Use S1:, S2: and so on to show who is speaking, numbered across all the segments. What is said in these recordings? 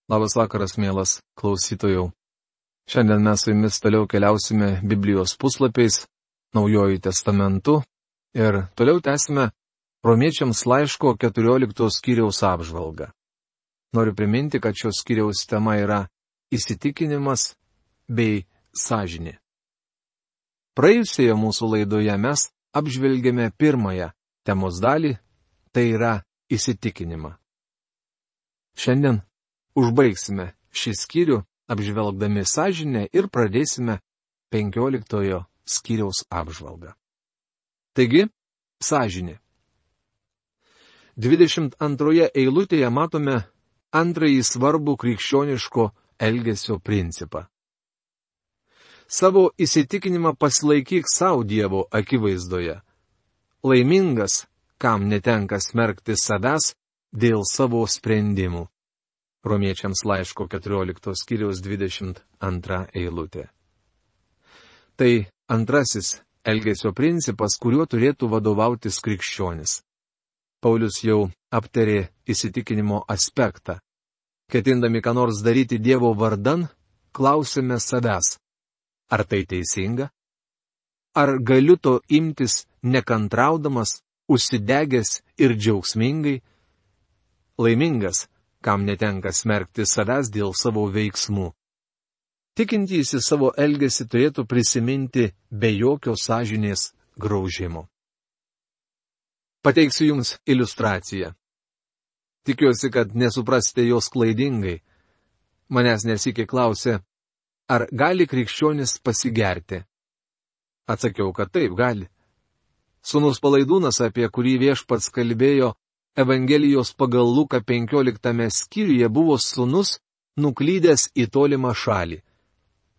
S1: Labas vakaras, mielas klausytojų. Šiandien mes su jumis toliau keliausime Biblijos puslapiais, Naujuoju testamentu ir toliau tęsime Romiečiams laiško 14 skyriaus apžvalgą. Noriu priminti, kad šios skyriaus tema yra įsitikinimas bei sąžinė. Praėjusioje mūsų laidoje mes apžvelgėme pirmąją temos dalį, tai yra įsitikinimą. Šiandien užbaigsime šį skyrių, apžvelgdami sąžinę ir pradėsime 15 skyriaus apžvalgą. Taigi, sąžinė. 22 eilutėje matome antrąjį svarbų krikščioniško elgesio principą. Savo įsitikinimą pasilaikyk savo Dievo akivaizdoje. Laimingas, kam netenka smerkti savęs dėl savo sprendimų. Romiečiams laiško 14 skyriaus 22 eilutė. Tai antrasis elgesio principas, kuriuo turėtų vadovautis krikščionis. Paulius jau aptarė įsitikinimo aspektą. Ketindami ką nors daryti Dievo vardan, klausime savęs. Ar tai teisinga? Ar galiu to imtis nekantraudamas, užsidegęs ir džiaugsmingai? Laimingas, kam netenka smerkti savęs dėl savo veiksmų. Tikintysis savo elgesį turėtų prisiminti be jokio sąžinės graužimo. Pateiksiu jums iliustraciją. Tikiuosi, kad nesuprasite jos klaidingai. Manęs nesykiai klausė, ar gali krikščionis pasigerti. Atsakiau, kad taip gali. Sūnus Palaidūnas, apie kurį Viešpats kalbėjo Evangelijos pagal Luką 15 skyriuje, buvo sūnus nuklydęs į tolimą šalį.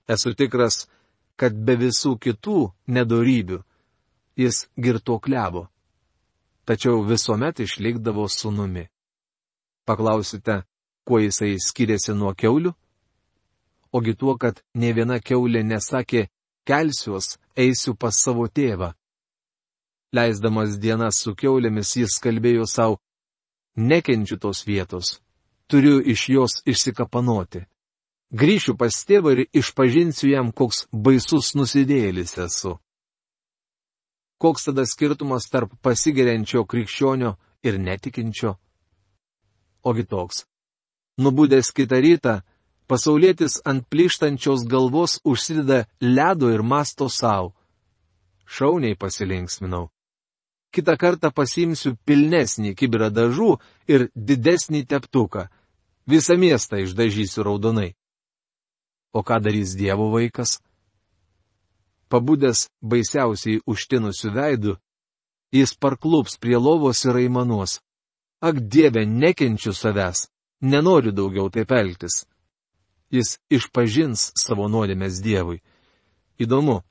S1: Esu tikras, kad be visų kitų nedorybių jis girtuokliavo, tačiau visuomet išlikdavo sūnumi. Paklausite, kuo jisai skiriasi nuo kiaulių? Ogi tuo, kad nė viena kiaulė nesakė, kelsiuos, eisiu pas savo tėvą. Leisdamas dienas su kiaulėmis jis kalbėjo savo, nekenčiu tos vietos, turiu iš jos išsikapanoti. Grįšiu pas tėvą ir išpažinsiu jam, koks baisus nusidėjėlis esu. Koks tada skirtumas tarp pasigeriančio krikščionio ir netikinčio? Ogi toks. Nubudęs kitą rytą, pasaulietis ant plyštančios galvos užsideda ledo ir masto savo. Šauniai pasilinksminau. Kitą kartą pasiimsiu pilnesnį kibirą dažų ir didesnį teptuką. Visą miestą išdažysiu raudonai. O ką darys Dievo vaikas? Pabudęs baisiausiai užtinusiu veidu, jis parklups prie lovos ir aimanuos. Ak, Dieve, nekenčiu savęs, nenoriu daugiau taip elgtis. Jis išpažins savo nuodėmes Dievui. Įdomu.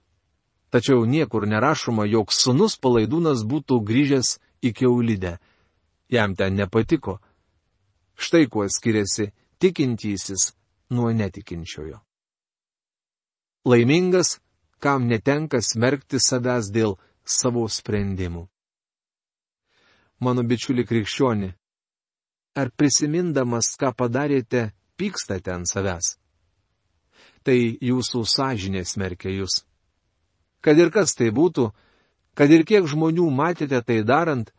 S1: Tačiau niekur nerašoma, jog sūnus Palaidūnas būtų grįžęs į kiaulidę. Jam ten nepatiko. Štai kuo skiriasi tikintysis nuo netikinčiojo. Laimingas, kam netenka smerkti savęs dėl savo sprendimų. Mano bičiuli krikščioni, ar prisimindamas, ką padarėte, pykstate ant savęs? Tai jūsų sąžinė smerkia jūs. Kad ir kas tai būtų, kad ir kiek žmonių matėte tai darant,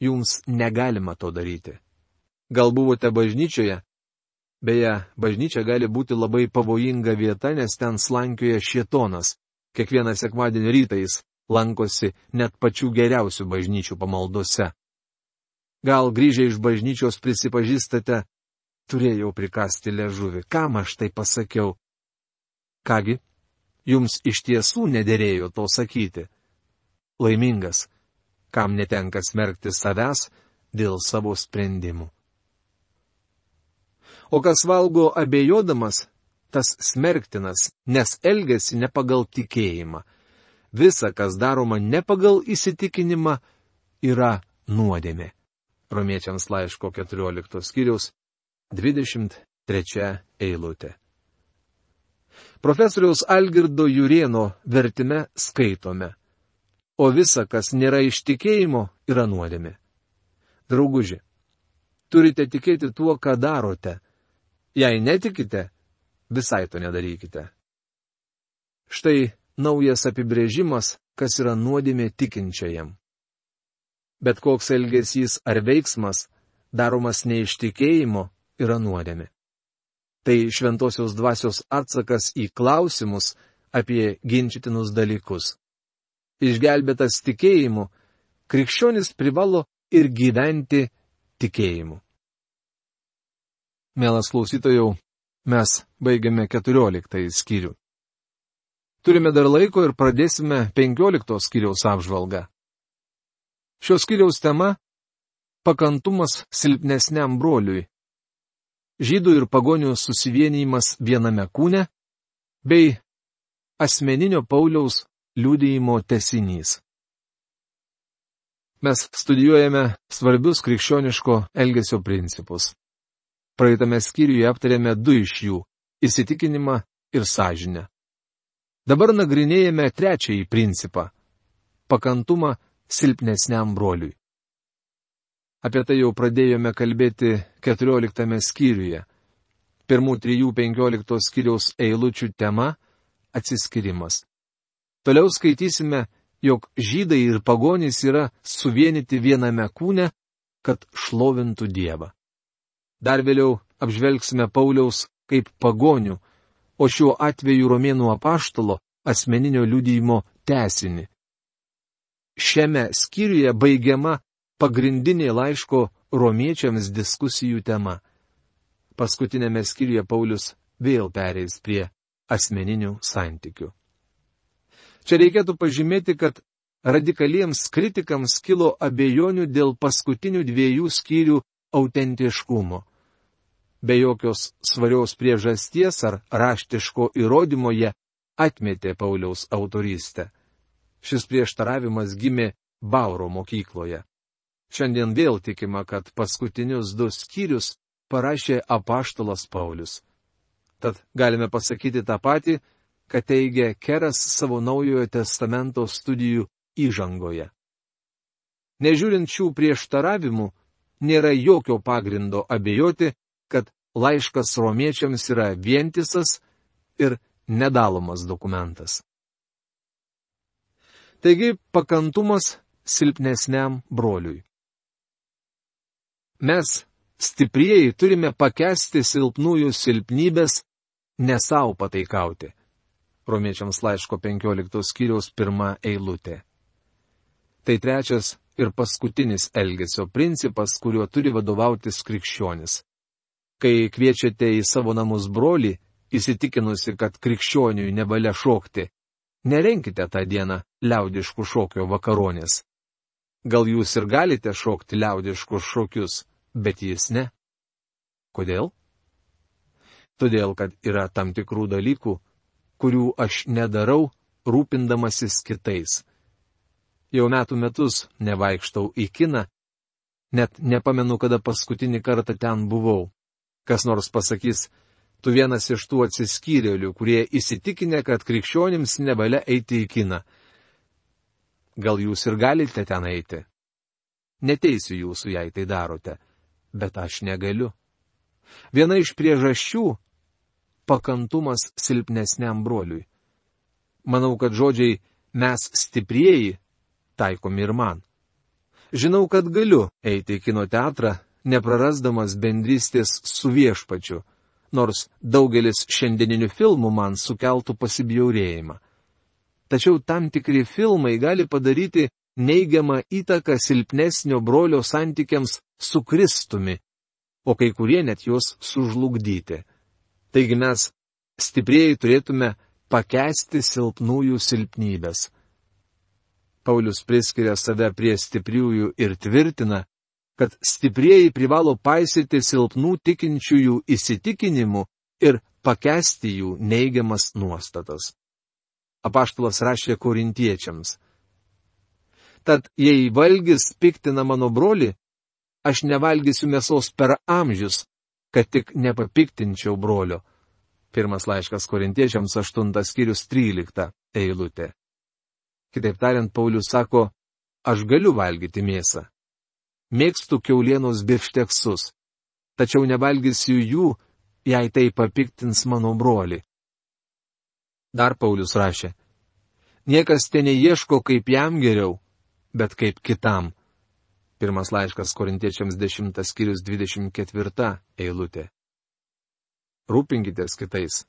S1: jums negalima to daryti. Gal buvote bažnyčioje? Beje, bažnyčia gali būti labai pavojinga vieta, nes ten slankioja šėtonas. Kiekvieną sekmadienio rytą jis lankosi net pačių geriausių bažnyčių pamaldose. Gal grįžę iš bažnyčios prisipažįstate, turėjau prikasti liežuvį, kam aš tai pasakiau? Kągi? Jums iš tiesų nederėjo to sakyti. Laimingas, kam netenka smerkti savęs dėl savo sprendimų. O kas valgo abejodamas, tas smerktinas, nes elgiasi ne pagal tikėjimą. Visa, kas daroma ne pagal įsitikinimą, yra nuodėmė. Romiečiams laiško 14 skyriaus 23 eilutė. Profesoriaus Algirdo Jurėno vertime skaitome. O visa, kas nėra iš tikėjimo, yra nuodėmė. Drauguži, turite tikėti tuo, ką darote. Jei netikite, visai to nedarykite. Štai naujas apibrėžimas, kas yra nuodėmė tikinčiajam. Bet koks elgesys ar veiksmas, daromas ne iš tikėjimo, yra nuodėmė. Tai šventosios dvasios atsakas į klausimus apie ginčytinus dalykus. Išgelbėtas tikėjimu, krikščionis privalo ir gyventi tikėjimu. Mielas klausytojau, mes baigiame 14 skyrių. Turime dar laiko ir pradėsime 15 skyriaus apžvalgą. Šios skyriaus tema – pakantumas silpnesniam broliui. Žydų ir pagonių susivienijimas viename kūne bei asmeninio Pauliaus liudijimo tęsinys. Mes studijuojame svarbius krikščioniško elgesio principus. Praeitame skyriuje aptarėme 2 iš jų – įsitikinimą ir sąžinę. Dabar nagrinėjame 3 principą – pakantumą silpnesniam broliui. Apie tai jau pradėjome kalbėti 14 skyriuje. Pirmų 3-15 skyriaus eilučių tema – atsiskyrimas. Toliau skaitysime, jog žydai ir pagonys yra suvienyti viename kūne, kad šlovintų Dievą. Dar vėliau apžvelgsime Pauliaus kaip pagonių, o šiuo atveju romėnų apaštalo asmeninio liudijimo tęsinį. Šiame skyriuje baigiama pagrindinė laiško romiečiams diskusijų tema. Paskutinėme skyriuje Paulius vėl pereis prie asmeninių santykių. Čia reikėtų pažymėti, kad radikaliems kritikams kilo abejonių dėl paskutinių 2 skyrių autentiškumo. Be jokios svarios priežasties ar raštiško įrodymo jie atmetė Pauliaus autorystę. Šis prieštaravimas gimė Bauro mokykloje. Šiandien vėl tikima, kad paskutinius 2 skyrius parašė apaštalas Paulius. Tad galime pasakyti tą patį, kad teigia Keras savo Naujojo testamento studijų įžangoje. Nežiūrint šių prieštaravimų, nėra jokio pagrindo abejoti, kad laiškas romiečiams yra vientisas ir nedalomas dokumentas. Taigi, pakantumas silpnesniam broliui. Mes, stiprieji, turime pakęsti silpnųjų silpnybės, ne savo pataikauti. Romiečiams laiško 15 skyriaus 1 eilutė. Tai 3 ir paskutinis elgesio principas, kuriuo turi vadovautis krikščionis. Kai kviečiate į savo namus brolį, įsitikinusi, kad krikščioniui nevalia šokti, nerenkite tą dieną liaudiškų šokio vakaronės. Gal jūs ir galite šokti liaudiškus šokius, bet jis ne. Kodėl? Todėl, kad yra tam tikrų dalykų, kurių aš nedarau, rūpindamasis kitais. Jau metus nevaikštau į kiną, net nepamenu, kada paskutinį kartą ten buvau. Kas nors pasakys, tu vienas iš tų atsiskyrėlių, kurie įsitikinę, kad krikščionims nevalia eiti į kiną. Gal jūs ir galite ten eiti? Neteisiu jūsų, jei tai darote, bet aš negaliu. Viena iš priežasčių – pakantumas silpnesniam broliui. Manau, kad žodžiai mes stiprieji taikomi ir man. Žinau, kad galiu eiti į kino teatrą, neprarasdamas bendrystės su viešpačiu, nors daugelis šiandieninių filmų man sukeltų pasibjaurėjimą. Tačiau tam tikri filmai gali padaryti neigiamą įtaką silpnesnio brolio santykiams su Kristumi, o kai kurie net juos sužlugdyti. Taigi mes, stiprieji, turėtume pakęsti silpnųjų silpnybės. Paulius priskiria save prie stipriųjų ir tvirtina, kad stiprieji privalo paisyti silpnų tikinčiųjų įsitikinimų ir pakęsti jų neigiamas nuostatas. Apaštalas rašė korintiečiams. Tad jei valgis piktina mano brolį, aš nevalgysiu mėsos per amžius, kad tik nepapiktinčiau brolio. Pirmas laiškas korintiečiams 8 skyrius 13 eilutė. Kitaip tariant, Paulius sako, aš galiu valgyti mėsą. Mėgstu kiaulienos bifšteksus, tačiau nevalgysiu jų, jei tai papiktins mano brolį. Dar Paulius rašė, niekas ten neieško, kaip jam geriau, bet kaip kitam. Pirmas laiškas Korintiečiams 10 skyrius 24 eilutė. Rūpinkitės kitais.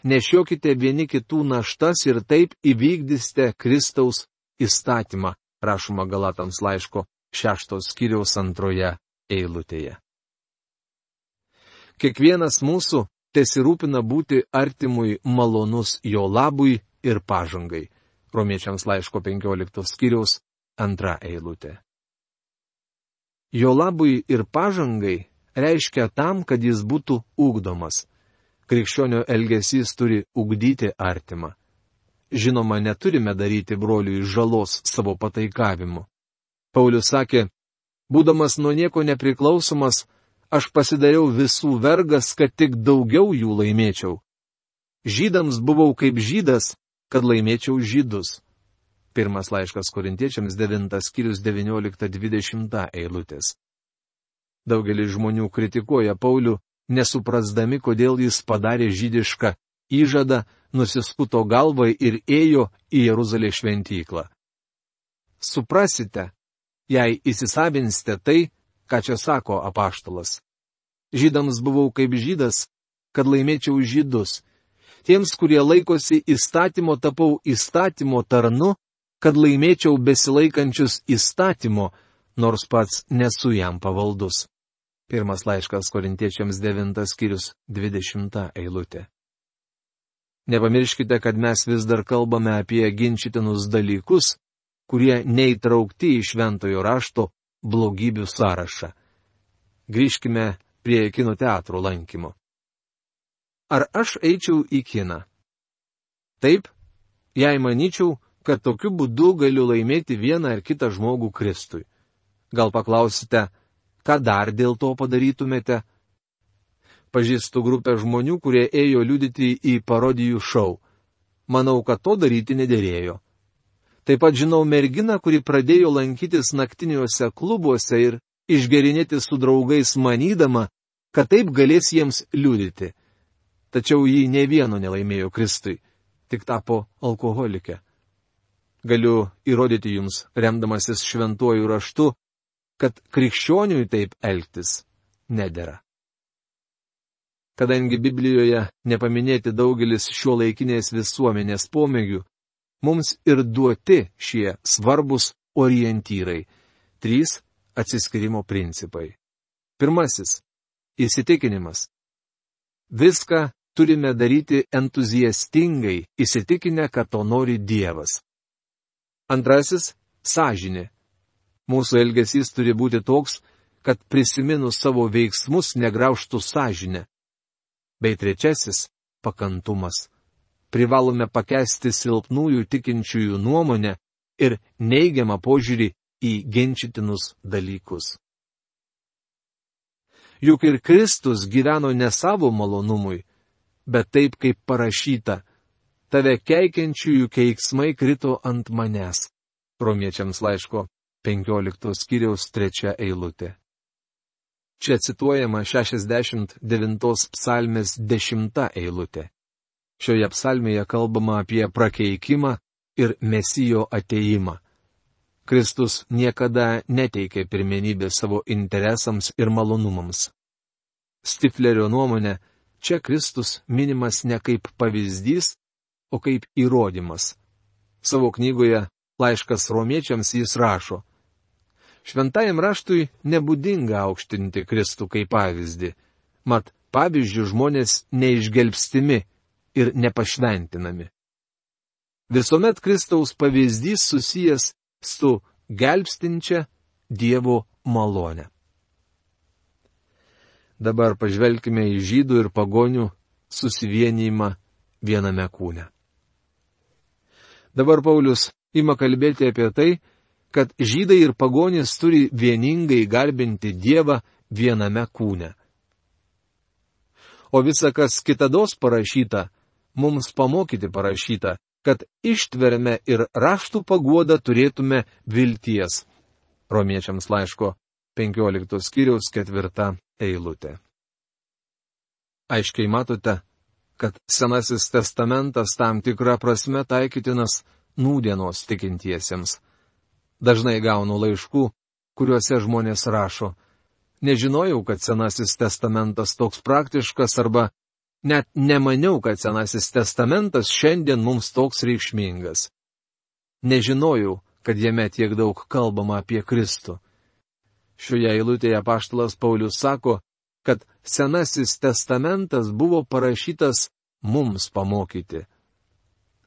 S1: Nešiokite vieni kitų naštas ir taip įvykdysite Kristaus įstatymą, rašoma Galatams laiško 6 skyriaus 2 eilutėje. Kiekvienas mūsų tesirūpina būti artimui malonus jo labui ir pažangai. Romiečiams laiško 15 skyriaus 2 eilutė. Jo labui ir pažangai reiškia tam, kad jis būtų ugdomas. Krikščionio elgesys turi ugdyti artimą. Žinoma, neturime daryti broliui žalos savo pataikavimu. Paulius sakė, būdamas nuo nieko nepriklausomas, aš pasidariau visų vergas, kad tik daugiau jų laimėčiau. Žydams buvau kaip žydas, kad laimėčiau žydus. Pirmas laiškas Korintiečiams 9 skyrius 19-20 eilutės. Daugelis žmonių kritikuoja Paulių, nesuprasdami, kodėl jis padarė žydišką įžadą, nusiskuto galvą ir ėjo į Jeruzalės šventyklą. Suprasite, jei įsisavinsite tai, ką čia sako apaštalas. Žydams buvau kaip žydas, kad laimėčiau žydus. Tiems, kurie laikosi įstatymo, tapau įstatymo tarnu, kad laimėčiau besilaikančius įstatymo, nors pats nesu jam pavaldus. Pirmas laiškas Korintiečiams 9 skyrius 20 eilutė. Nepamirškite, kad mes vis dar kalbame apie ginčytinus dalykus, kurie neįtraukti į šventojo rašto blogybių sąrašą. Grįžkime prie kino teatro lankymo. Ar aš eičiau į kiną? Taip, jei manyčiau, kad tokiu būdu galiu laimėti vieną ar kitą žmogų Kristui. Gal paklausite, ką dar dėl to padarytumėte? Pažįstu grupę žmonių, kurie ėjo liudyti į parodijų šou. Manau, kad to daryti nederėjo. Taip pat žinau merginą, kuri pradėjo lankytis naktiniuose klubuose ir išgerinėti su draugais manydama, kad taip galės jiems liudyti. Tačiau ji ne vieno nelaimėjo Kristui, tik tapo alkoholike. Galiu įrodyti jums, remdamasis šventuoju raštu, kad krikščioniui taip elgtis nedera. Kadangi Biblijoje nepaminėti daugelis šiuolaikinės visuomenės pomėgių, mums ir duoti šie svarbus orientyrai - 3 atsiskyrimo principai. Pirmasis - įsitikinimas. Viską turime daryti entuziastingai, įsitikinę, kad to nori Dievas. Antrasis - sąžinė. Mūsų elgesys turi būti toks, kad prisiminus savo veiksmus negraužtų sąžinę. Bei trečiasis - pakantumas. Privalome pakęsti silpnųjų tikinčiųjų nuomonę ir neigiamą požiūrį į ginčytinus dalykus. Juk ir Kristus gyveno ne savo malonumui, bet taip, kaip parašyta, tave keikiančiųjų keiksmai krito ant manęs. Romiečiams laiško 15 skyriaus 3 eilutė. Čia cituojama 69 psalmės 10 eilutė. Šioje psalmėje kalbama apie prakeikimą ir Mesijo atėjimą. Kristus niekada neteikė pirmenybę savo interesams ir malonumams. Stiflerio nuomonė, čia Kristus minimas ne kaip pavyzdys, o kaip įrodymas. Savo knygoje Laiškas romiečiams jis rašo: Šventajam raštui nebūdinga aukštinti Kristų kaip pavyzdį, mat pavyzdžių žmonės neišgelbstimi ir nepašventinami. Visuomet Kristaus pavyzdys susijęs su gelbstinčia Dievo malone. Dabar pažvelkime į žydų ir pagonių susivienijimą viename kūne. Dabar Paulius ima kalbėti apie tai, kad žydai ir pagonys turi vieningai garbinti Dievą viename kūne. O visa, kas kitados parašyta, mums pamokyti parašyta, kad ištverme ir raštų paguodą turėtume vilties. Romiečiams laiško 15 skyriaus 4 eilutė. Aiškiai matote, kad Senasis testamentas tam tikrą prasme taikytinas nūdienos tikintiesiems. Dažnai gaunu laiškų, kuriuose žmonės rašo: nežinojau, kad Senasis testamentas toks praktiškas, arba net nemaniau, kad Senasis testamentas šiandien mums toks reikšmingas. Nežinojau, kad jame tiek daug kalbama apie Kristų. Šioje eilutėje apaštalas Paulius sako, kad Senasis testamentas buvo parašytas mums pamokyti.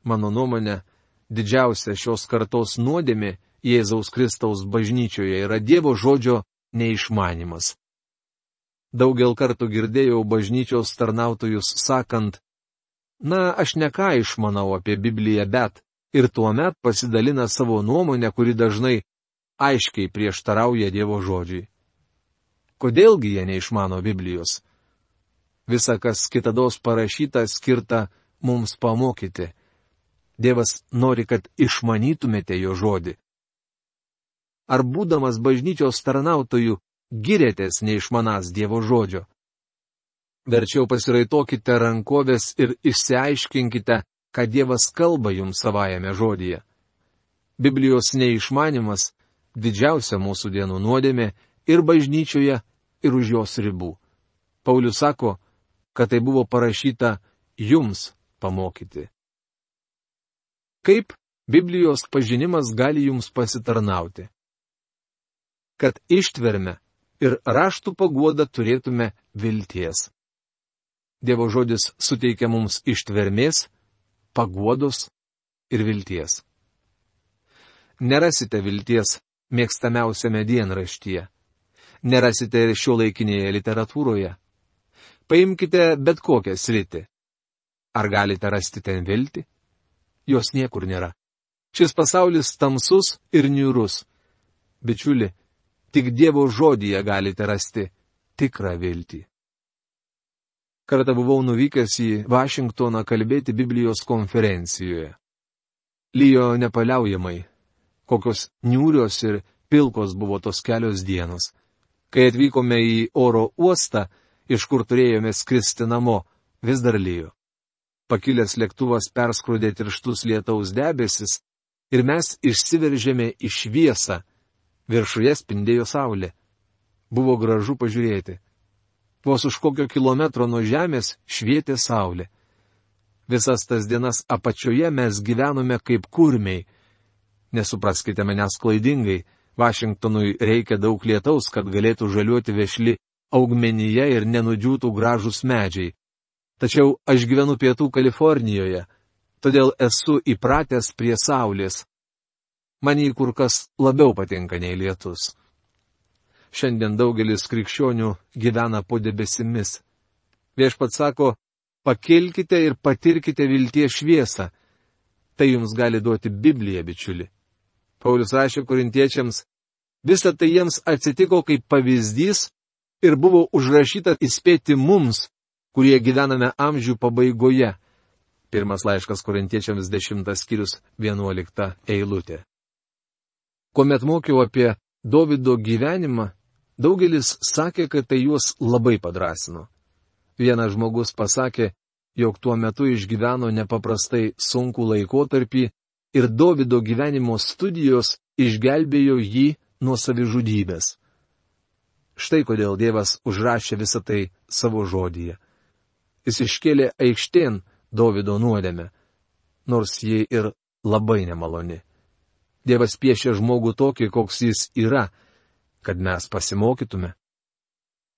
S1: Mano nuomonė, didžiausia šios kartos nuodėmė Jėzaus Kristaus bažnyčioje yra Dievo žodžio neišmanimas. Daugel kartų girdėjau bažnyčios tarnautojus sakant: aš ne ką išmanau apie Bibliją, bet, ir tuomet pasidalina savo nuomonę, kuri dažnai aiškiai prieštarauja Dievo žodžiui. Kodėlgi jie neišmano Biblijos? Visa, kas kitados parašyta, skirta mums pamokyti. Dievas nori, kad išmanytumėte jo žodį. Ar būdamas bažnyčios tarnautojų girėtės neišmanąs Dievo žodžio? Verčiau pasiraitokite rankovės ir išsiaiškinkite, ką Dievas kalba jums savajame žodyje. Biblijos neišmanimas – didžiausia mūsų dienų nuodėmė ir bažnyčioje, ir už jos ribų. Paulius sako, kad tai buvo parašyta jums pamokyti. Kaip Biblijos pažinimas gali jums pasitarnauti? Kad ištverme ir raštų paguodą turėtume vilties. Dievo žodis suteikia mums ištvermės, paguodos ir vilties. Nerasite vilties mėgstamiausiame dienraštyje. Nerasite ir šiuolaikinėje literatūroje. Paimkite bet kokią sritį. Ar galite rasti ten viltį? Jos niekur nėra. Šis pasaulis tamsus ir niūrus. Bičiuli, tik Dievo žodyje galite rasti tikrą viltį. Kartą buvau nuvykęs į Vašingtoną kalbėti Biblijos konferencijoje. Lijo nepaliaujamai. Kokios niūrios ir pilkos buvo tos kelios dienos. Kai atvykome į oro uostą, iš kur turėjome skristi namo, vis dar lijo. Pakilęs lėktuvas perskrudė tirštus lietaus debesis ir mes išsiveržėme į šviesą. Viršuje spindėjo saulė. Buvo gražu pažiūrėti. Vos už kokio kilometro nuo žemės švietė saulė. Visas tas dienas apačioje mes gyvenome kaip kurmiai. Nesupraskite manęs klaidingai, Vašingtonui reikia daug lietaus, kad galėtų žaliuoti vešli augmenija ir nenudžiūtų gražūs medžiai. Tačiau aš gyvenu pietų Kalifornijoje, todėl esu įpratęs prie saulės. Man jį kur kas labiau patinka nei lietus. Šiandien daugelis krikščionių gyvena po debesimis. Viešpats sako, pakilkite ir patirkite vilties šviesą. Tai jums gali duoti Biblija, bičiuli. Paulius rašė korintiečiams, visa tai jiems atsitiko kaip pavyzdys ir buvo užrašyta įspėti mums, kurie gyvename amžių pabaigoje. Pirmas laiškas korintiečiams 10 skyrius 11 eilutė. Kuomet mokiau apie Dovydo gyvenimą, daugelis sakė, kad tai juos labai padrasino. Vienas žmogus pasakė, jog tuo metu išgyveno nepaprastai sunkų laikotarpį ir Dovydo gyvenimo studijos išgelbėjo jį nuo savižudybės. Štai kodėl Dievas užrašė visą tai savo žodyje. Jis iškėlė aikštėn Dovydo nuodėmę, nors ji ir labai nemaloni. Dievas piešia žmogų tokį, koks jis yra, kad mes pasimokytume.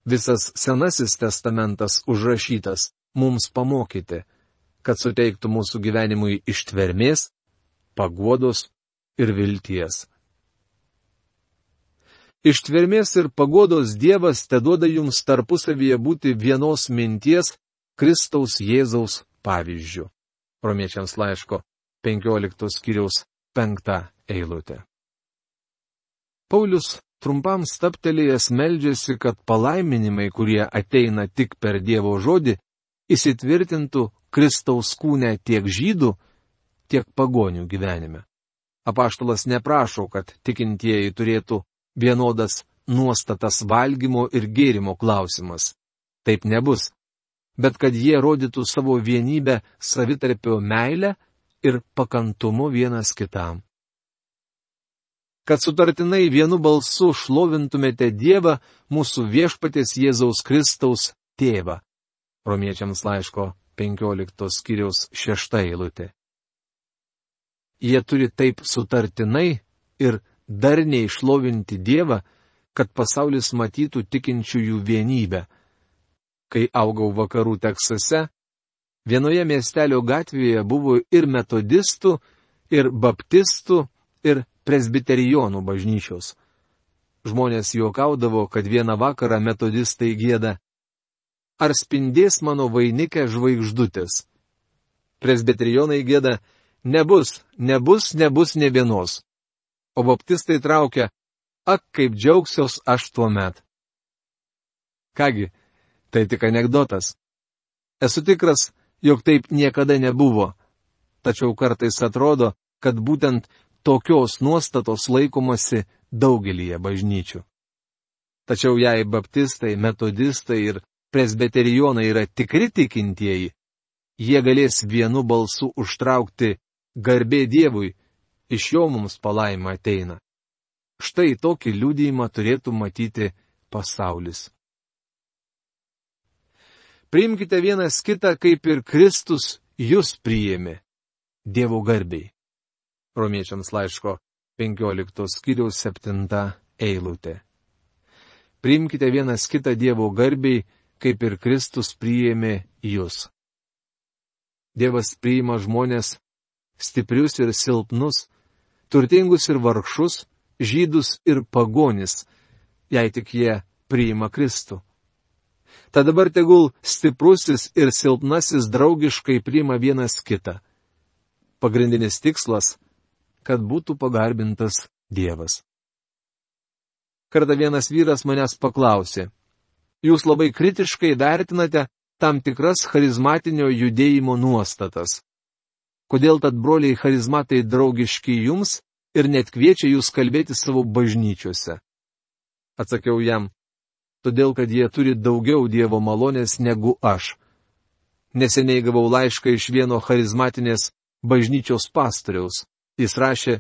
S1: Visas Senasis testamentas užrašytas mums pamokyti, kad suteiktų mūsų gyvenimui ištvermės, paguodos ir vilties. Ištvermės ir paguodos Dievas teduoda jums tarpusavyje būti vienos minties Kristaus Jėzaus pavyzdžiu. Romiečiams laiško 15 skyriaus 5 eilutė. Paulius trumpam stabtelėjęs meldžiasi, kad palaiminimai, kurie ateina tik per Dievo žodį, įsitvirtintų Kristaus kūne tiek žydų, tiek pagonių gyvenime. Apaštalas neprašo, kad tikintieji turėtų vienodas nuostatas valgymo ir gėrimo klausimas. Taip nebus. bet kad jie rodytų savo vienybę savitarpio meilę ir pakantumu vienas kitam. Kad sutartinai vienu balsu šlovintumėte Dievą, mūsų viešpaties Jėzaus Kristaus tėvą. Romiečiams laiško 15 skyriaus 6 eilutė. Jie turi taip sutartinai ir darniai šlovinti Dievą, kad pasaulis matytų tikinčiųjų vienybę. Kai augau vakarų Teksase, vienoje miestelio gatvėje buvo ir metodistų, ir baptistų, ir presbiterijonų bažnyčios. Žmonės juokaudavo, kad vieną vakarą metodistai gieda: Ar spindės mano vainike žvaigždutės? Presbiterijonai gieda: Nebus ne vienos. O baptistai traukia: Ak, kaip džiaugsiuos aš tuomet. Kągi, tai tik anekdotas. Esu tikras, jog taip niekada nebuvo. Tačiau kartais atrodo, kad būtent tokios nuostatos laikomasi daugelyje bažnyčių. Tačiau jei baptistai, metodistai ir presbiterijonai yra tikri tikintieji, jie galės vienu balsu užtraukti: Garbė Dievui, iš jo mums palaima ateina. Štai tokį liudijimą turėtų matyti pasaulis. Priimkite vienas kitą, kaip ir Kristus jūs priėmė, Dievo garbiai. Romiečiams laiško 15 skyriaus 7 eilutė. Priimkite vienas kitą Dievo garbiai, kaip ir Kristus priėmė jūs. Dievas priima žmonės stiprius ir silpnus, turtingus ir vargšus, žydus ir pagonis, jei tik jie priima Kristų. Tad dabar tegul stiprusis ir silpnasis draugiškai priima vienas kitą. Pagrindinis tikslas – kad būtų pagarbintas Dievas. Kartą vienas vyras manęs paklausė: Jūs labai kritiškai vertinate tam tikras charizmatinio judėjimo nuostatas. Kodėl tad broliai charizmatai draugiški jums ir net kviečia jūs kalbėti savo bažnyčiose? Atsakiau jam: Todėl, kad jie turi daugiau Dievo malonės negu aš. Neseniai gavau laišką iš vieno charizmatinės bažnyčios pastoriaus. Jis rašė: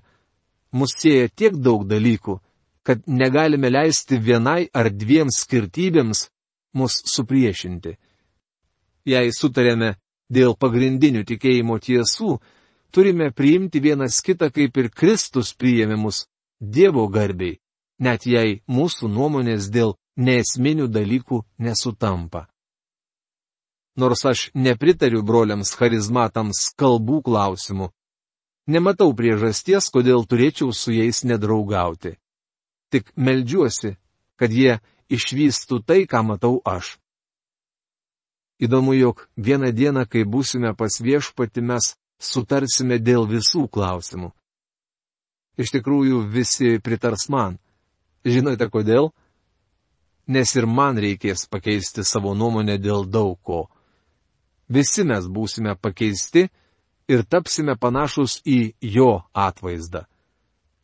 S1: Mus sieja tiek daug dalykų, kad negalime leisti vienai ar dviem skirtybėms mus supriešinti. Jei sutarėme dėl pagrindinių tikėjimo tiesų, turime priimti vienas kitą, kaip ir Kristus priėmė mus, Dievo garbiai, net jei mūsų nuomonės dėl neesminių dalykų nesutampa. Nors aš nepritariu broliams charizmatams kalbų klausimų, nematau priežasties, kodėl turėčiau su jais nedraugauti. Tik meldžiuosi, kad jie išvystų tai, ką matau aš. Įdomu, jog vieną dieną, kai būsime pas viešpatį, mes sutarsime dėl visų klausimų. Iš tikrųjų, visi pritars man. Žinote kodėl? Nes ir man reikės pakeisti savo nuomonę dėl daug ko. Visi mes būsime pakeisti ir tapsime panašus į jo atvaizdą.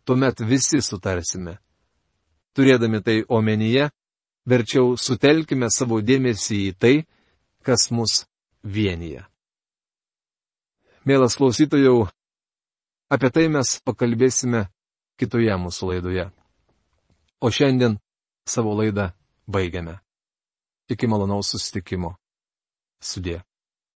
S1: Tuomet visi sutarsime. Turėdami tai omenyje, verčiau sutelkime savo dėmesį į tai, kas mus vienyje. Mielas klausytojau, apie tai mes pakalbėsime kitoje mūsų laidoje. O šiandien savo laidą baigiame. Iki malonaus susitikimo. Sudie.